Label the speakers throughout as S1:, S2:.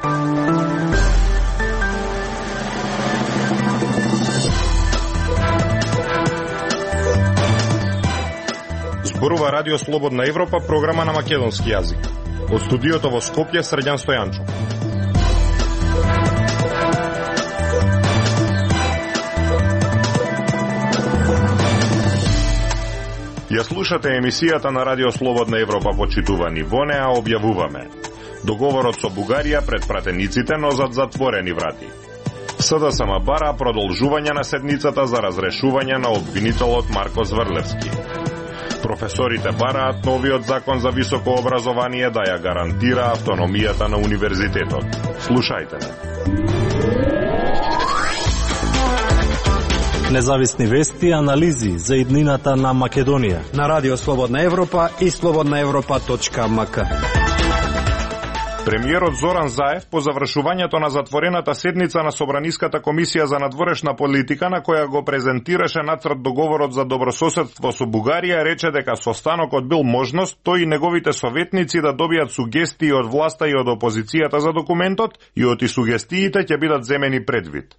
S1: Зборува Радио Слободна Европа, програма на македонски јазик. Од студиото во Скопје, Срđan Стојанчов. Ја слушате емисијата на Радио Слободна Европа, почитувани. Во неа објавуваме: договорот со Бугарија пред пратениците, но зад затворени врати. СДСМ бара продолжување на седницата за разрешување на обвинителот Марко Зврлевски. Професорите бараат новиот закон за високо образование да ја гарантира автономијата на универзитетот. Слушајте ме.
S2: Независни вести и анализи за иднината на Македонија
S3: на Радио Слободна Европа и slobodnaevropa.mk.
S1: Премиерот Зоран Заев по завршувањето на затворената седница на Собраниската комисија за надворешна политика, на која го презентираше нацрт договорот за добрососедство со Бугарија, рече дека состанокот бил можност тој и неговите советници да добијат сугестии од власта и од опозицијата за документот, и од сугестиите ќе бидат земени предвид.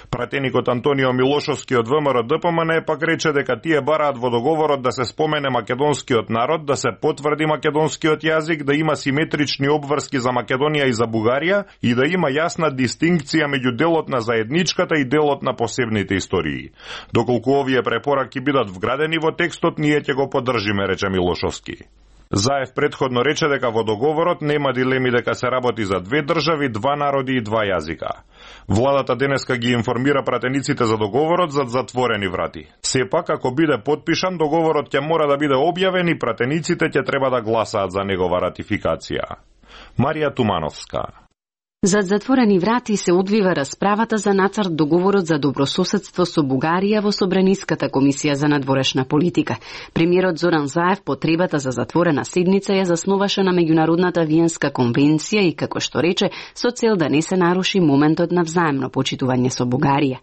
S1: Пратеникот Антонио Милошовски од ВМРО ДПМН пак рече дека тие бараат во договорот да се спомене македонскиот народ, да се потврди македонскиот јазик, да има симетрични обврски за Македонија и за Бугарија и да има јасна дистинкција меѓу делот на заедничката и делот на посебните истории. Доколку овие препораки бидат вградени во текстот, ние ќе го поддржиме, рече Милошовски. Заев предходно рече дека во договорот нема дилеми дека се работи за две држави, два народи и два јазика. Владата денеска ги информира пратениците за договорот зад затворени врати. Сепак, ако биде потпишан, договорот ќе мора да биде објавен и пратениците ќе треба да гласаат за негова ратификација. Марија Тумановска.
S4: Зад затворени врати се одвива расправата за нацрт договорот за добрососедство со Бугарија во Собраниската комисија за надворешна политика. Премиерот Зоран Заев потребата за затворена седница ја засноваше на меѓународната Виенска конвенција и, како што рече, со цел да не се наруши моментот на взаемно почитување со Бугарија.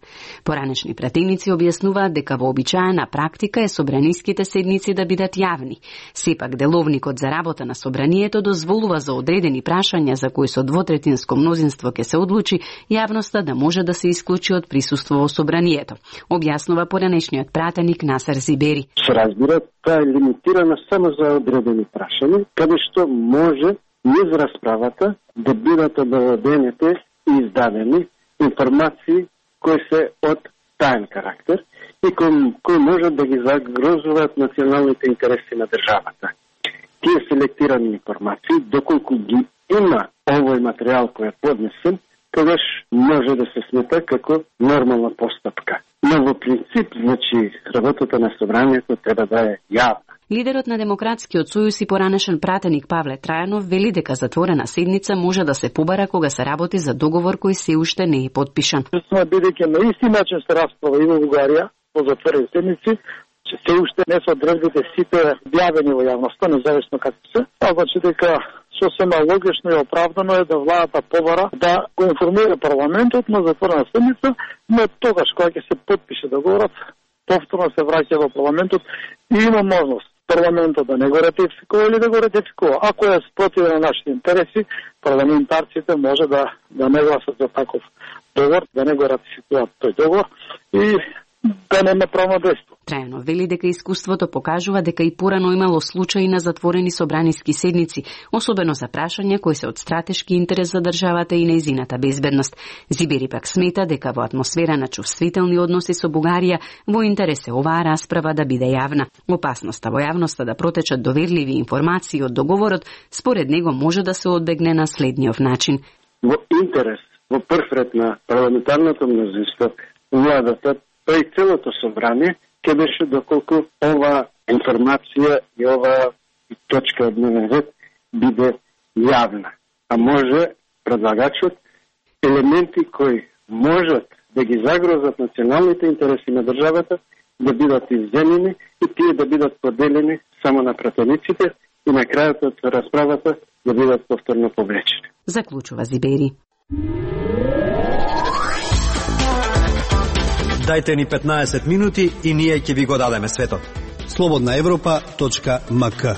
S4: Поранешни пратеници објаснуваат дека вообичаена практика е собраниските седници да бидат јавни. Сепак деловникот за работа на собранието дозволува за одредени прашања за кои со двотретинско мнозинство ќе се одлучи, јавноста да може да се исклучи од присуство во собранието, објаснува поранешниот пратеник Насер Зибери.
S5: Се разбира, таа е лимитирана само за одредени прашања, каде што може низ расправата да бидат обаведените и издадени информации кои се од таен карактер и кои можат да ги загрозуваат националните интереси на државата. Тие селектирани информации, доколку ги има овој материјал кој е поднесен, тогаш може да се смета како нормална постапка. Но во принцип, значи, работата на собранието треба да е јавна.
S4: Лидерот на Демократскиот сојуз и поранешен пратеник Павле Трајанов вели дека затворена седница може да се побара кога се работи за договор кој се уште не е потпишан.
S6: Бидејќи на исти начин се расправа и во Бугарија во затворени седници, че се уште не се одржбите сите објавени во јавноста, независно како се, значи дека сосема логично и оправдано е да владата побара да го информира парламентот на затворена седница, но тогаш кога ќе се потпише договорот, повторно се враќа во парламентот и има можност парламентот да не го ратификува или да го ратификува. Ако е спротив на нашите интереси, парламентарците може да не гласат за таков договор, да не го ратификуваат тој договор и да нема правно дејство.
S4: Трајано вели дека искуството покажува дека и порано имало случаи на затворени собраниски седници, особено за прашања кои се од стратешки интерес за државата и нејзината безбедност. Зибери пак смета дека во атмосфера на чувствителни односи со Бугарија во интерес е оваа расправа да биде јавна. Опасноста во јавноста да протечат доверливи информации од договорот, според него може да се одбегне на следниот начин.
S5: Во интерес, во прв ред на парламентарното мнозинство, владата, па и целото собрание, ќе беше доколку ова информација и ова точка од дневен ред биде јавна. А може предлагачот елементи кои можат да ги загрозат националните интереси на државата да бидат изземени и тие да бидат поделени само на пратениците и на крајот од расправата да бидат повторно повлечени.
S4: Заклучува Зибери.
S3: Дајте ни 15 минути и ние ќе ви го дадеме светот.
S7: slobodnaevropa.mk.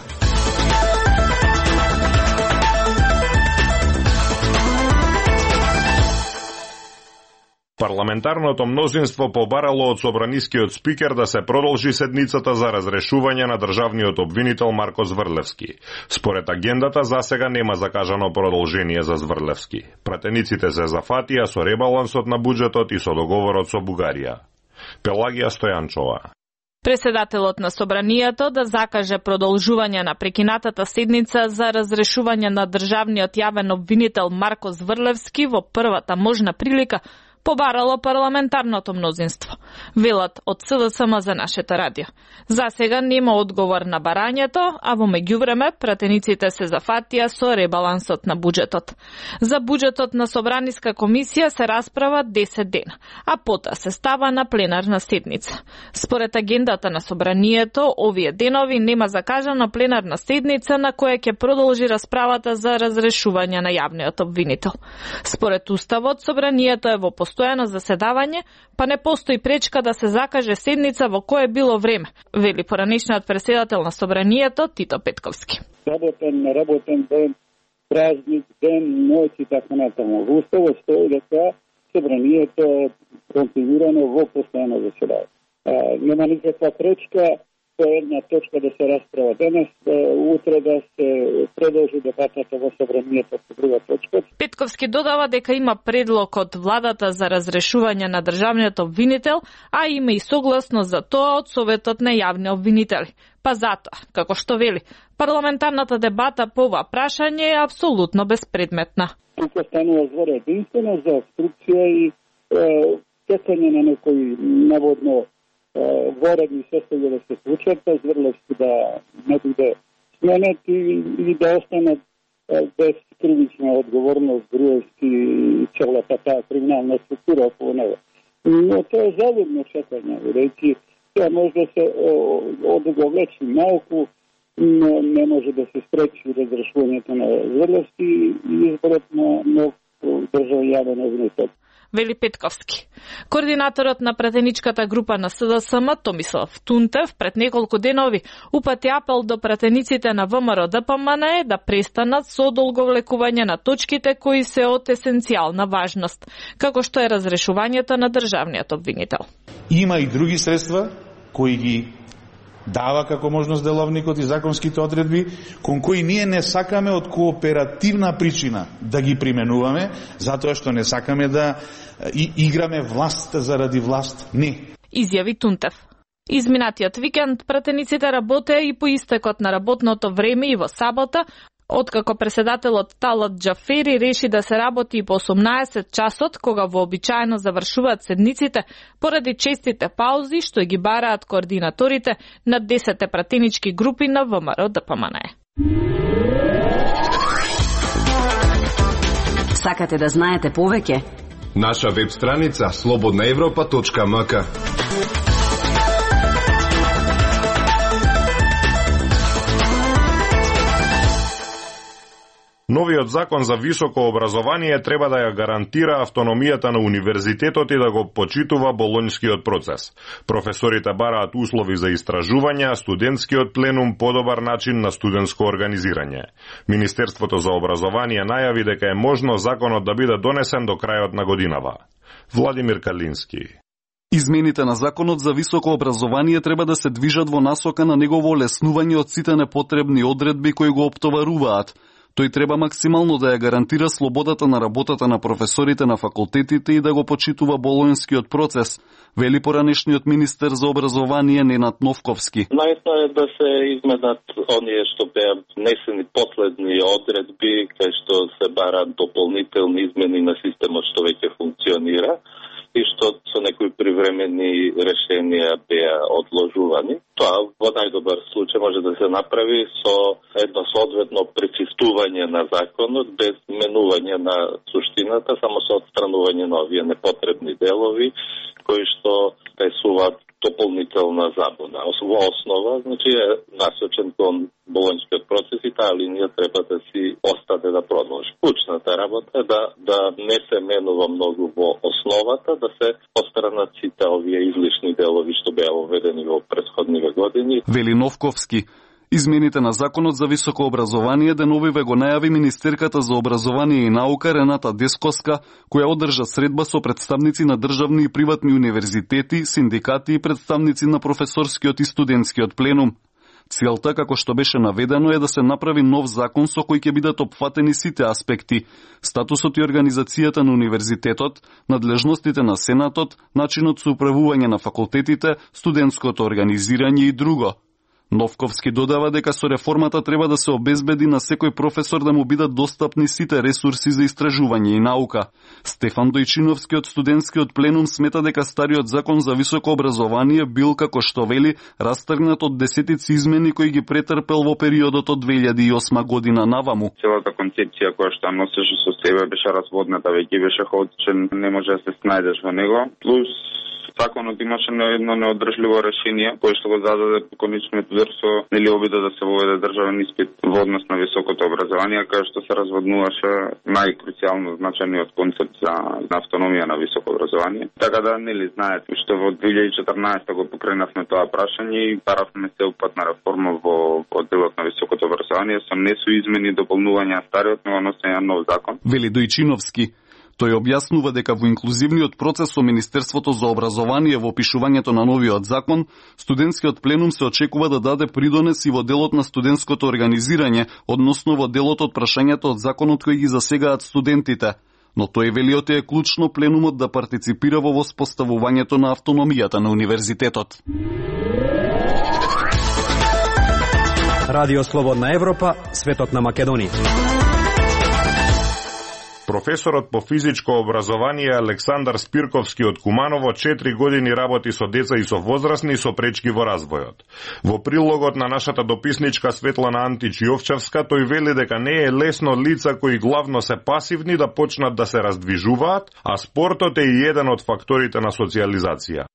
S1: Парламентарното мнозинство побарало од собранискиот спикер да се продолжи седницата за разрешување на државниот обвинител Марко Зврлевски. Според агендата, засега нема закажано продолжение за Зврлевски. Пратениците се зафатија со ребалансот на буџетот и со договорот со Бугарија. Пелагија Стојанчова.
S7: Преседателот на собранието да закаже продолжување на прекинатата седница за разрешување на државниот јавен обвинител Марко Зврлевски во првата можна прилика побарало парламентарното мнозинство. Велат од СДСМ за нашето радио. За сега нема одговор на барањето, а во меѓувреме пратениците се зафатија со ребалансот на буџетот. За буџетот на Собраниска комисија се расправа 10 дена, а потоа се става на пленарна седница. Според агендата на собранието, овие денови нема закажана пленарна седница на која ќе продолжи расправата за разрешување на јавниот обвинител. Според уставот, собранието е во постојано заседавање, па не постои пречка да се закаже седница во кое било време, вели поранешниот председател на собранието Тито Петковски.
S6: Неработен ден, празник, ден, ноќ и така натаму. Во уставот стои дека собранието е конфигурано во постојано заседавање. Нема никаква пречка по една точка да се расправа денес, утре да се продолжи дебатата во собранието по друга точка.
S7: Петковски додава дека има предлог од владата за разрешување на државниот обвинител, а има и согласност за тоа од Советот на јавни обвинители. Па затоа, како што вели, парламентарната дебата по ова прашање е апсолутно безпредметна.
S6: Тука станува збор единствено за обструкција и чекање на некои наводно воредни состојби да се случат, Зврлевски да не биде сменет и да останат без кривична одговорност Груевски и целата таа криминална структура околу него. Но тоа е завидно чекање, бидејќи тоа може да се одговлечи малку, но не може да се спречи разрешувањето на Зврлевски и изборот на нов државен јавен обвинител.
S7: Вели Петковски. Координаторот на пратеничката група на СДСМ Томислав Тунтев пред неколку денови упати апел до пратениците на ВМРО ДПМН да престанат со одолговлекување на точките кои се од есенцијална важност, како што е разрешувањето на државниот обвинител.
S8: Има и други средства кои ги дава како можност деловникот и законските одредби, кон кои ние не сакаме од кооперативна причина да ги применуваме, затоа што не сакаме да играме власт заради власт. Не.
S7: Изјави Тунтев. Изминатиот викенд пратениците работеа и по истекот на работното време и во сабота, откако преседателот Талат Џафери реши да се работи и по 18 часот, кога вообичаено завршуваат седниците, поради честите паузи што ги бараат координаторите на 10 пратенички групи на ВМРО ДПМН.
S4: Сакате да знаете повеќе?
S9: Наша веб страница slobodnaevropa.mk.
S1: Новиот закон за високо образование треба да ја гарантира автономијата на универзитетот и да го почитува болонјскиот процес. Професорите бараат услови за истражување, а студентскиот пленум подобар начин на студентско организирање. Министерството за образование најави дека е можно законот да биде донесен до крајот на годинава. Владимир Калински.
S10: Измените на законот за високо образование треба да се движат во насока на негово олеснување од сите непотребни одредби кои го оптоваруваат. Тој треба максимално да ја гарантира слободата на работата на професорите на факултетите и да го почитува болонјскиот процес, вели поранешниот министер за образование Ненад Новковски.
S11: Најсно е да се изменат оние што беа внесени последни одредби, кај што се бараат дополнителни измени на системот што веќе функционира и што со некои привремени решенија беа одложувани. Тоа во најдобар случај може да се направи со едно соодветно пречистување на законот, без менување на суштината, само со отстранување на овие непотребни делови, кои што пресуваат дополнителна забуна. Во основа, значи е насочен кон болонјскиот процес и таа линија треба да си остане да продолжи. Клучната работа е да не се менува многу во основата, да се отстранат сите овие излишни делови што беа введени во претходниве години.
S10: Вели Новковски. Измените на Законот за високо образование деновиве го најави Министерката за образование и наука Рената Дескоска, која одржа средба со представници на државни и приватни универзитети, синдикати и представници на професорскиот и студентскиот пленум. Целта, како што беше наведено, е да се направи нов закон со кој ќе бидат опфатени сите аспекти: статусот и организацијата на универзитетот, надлежностите на Сенатот, начинот со управување на факултетите, студентското организирање и друго. Новковски додава дека со реформата треба да се обезбеди на секој професор да му бидат достапни сите ресурси за истражување и наука. Стефан Дојчиновски од студентскиот пленум смета дека стариот закон за високо образование бил, како што вели, растргнат од десетици измени кои ги претрпел во периодот од 2008 година наваму.
S12: Целата концепција која што носеше со себе беше разводната, веќе беше хаотичен, не може да се снајдеш во него. Плюс законот имаше едно неодржливо решение кое што го зададе конечниот удар со обида да се воведе државен испит во однос на високото образование, кај што се разводнуваше најкруцијално значајниот концепт за автономија на високо образование. Така да знаете што во 2014 го покренавме тоа прашање и паравме целопатна реформа во одделот на високото образование со не со измени и дополнување на стариот, но носење на нов закон.
S10: Вели Дојчиновски. Тој објаснува дека во инклузивниот процес со Министерството за образование во опишувањето на новиот закон, студентскиот пленум се очекува да даде придонес и во делот на студентското организирање, односно во делот од прашањето од законот кои ги засегаат студентите. Но тој велиот е клучно пленумот да партиципира во воспоставувањето на автономијата на универзитетот.
S3: Радио Слободна Европа, светот на Македонија.
S1: Професорот по физичко образование Александар Спирковски од Куманово 4 години работи со деца и со возрастни со пречки во развојот. Во прилогот на нашата дописничка Светлана Антич Јовчевска, тој вели дека не е лесно лица кои главно се пасивни да почнат да се раздвижуваат, а спортот е и еден од факторите на социализација.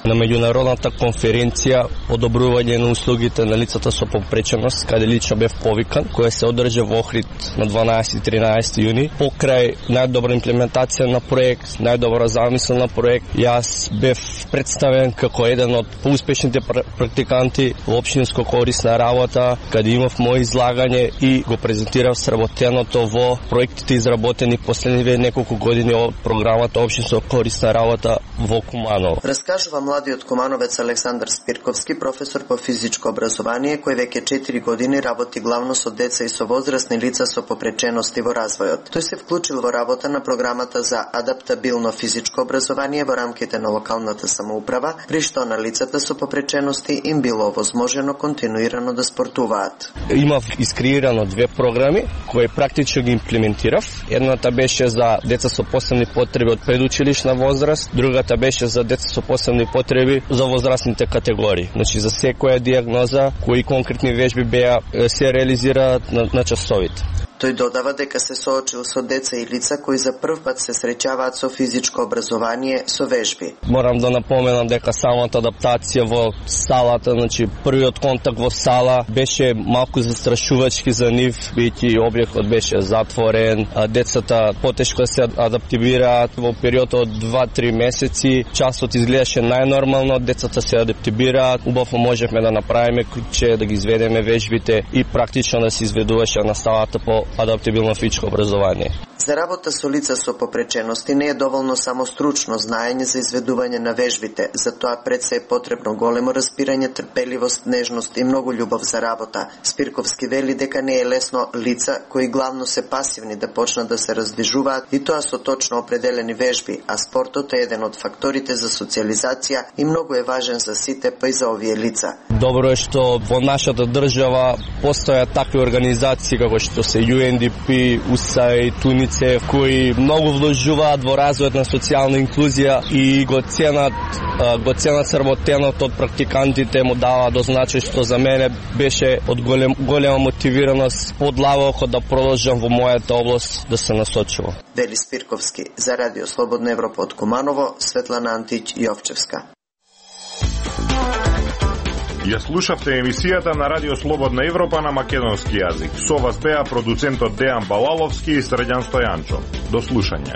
S13: На меѓународната конференција одобрување на услугите на лицата со попреченост, каде лично бев повикан, која се одржа во Охрид на 12-13 јуни, покрај најдобра имплементација на проект, најдобра замисла на проект, јас бев представен како еден од поуспешните практиканти во општинско корисна работа, каде имав мој излагање и го презентирав сработеното во проектите изработени последниве неколку години од програмата општинско корисна работа во Куманово.
S14: Раскажува младиот кумановец Александар Спирковски, професор по физичко образование, кој веќе 4 години работи главно со деца и со возрастни лица со попречености во развојот. Тој се вклучил во работа на програмата за адаптабилно физичко образование во рамките на локалната самоуправа, при што на лицата со попречености им било возможено континуирано да спортуваат.
S13: Имав искреирано 2 програми кои практично ги имплементирав. Едната беше за деца со посебни потреби од предучилишна возраст, другата беше за деца со посебни потреби за возрастните категории. Значи за секоја диагноза кои конкретни вежби беа се реализираат на часовите.
S14: Тој додава дека се соочил со деца и лица кои за прв пат се среќаваат со физичко образование со вежби.
S13: Морам да напоменам дека самата адаптација во салата, значи првиот контакт во сала беше малку застрашувачки за нив, бидејќи објектот беше затворен, децата потешко се адаптивираат во период од 2-3 месеци, часот изгледаше најнормално, децата се адаптивираат, убаво можевме да направиме че да ги изведеме вежбите и практично да се изведуваше наставата по адаптабилно физичко образование.
S14: За работа со лица со попречености не е доволно само стручно знаење за изведување на вежбите, затоа пред се е потребно големо разбирање, трпеливост, нежност и многу љубов за работа. Спирковски вели дека не е лесно лица кои главно се пасивни да почнат да се раздвижуваат и тоа со точно определени вежби, а спортот е еден од факторите за социализација и многу е важен за сите, па и за овие лица.
S13: Добро е што во нашата држава постојат такви организации како што се UNDP, УСАИД, ТУНИЦЕФ, кои многу вложуваат во развојот на социјална инклузија и го ценат сработеното од практикантите, му дава до значај, што за мене беше од голема мотивираност подлабоко да продолжам во мојата област да се насочувам.
S14: Вели Спирковски, за Радио Слободна Европа од Куманово, Светлана Антич Јовчевска.
S1: Ја слушавте емисијата на Радио Слободна Европа на македонски јазик. Со вас беа продуцентот Дејан Балаловски и Срđan Стојанчо. До слушање.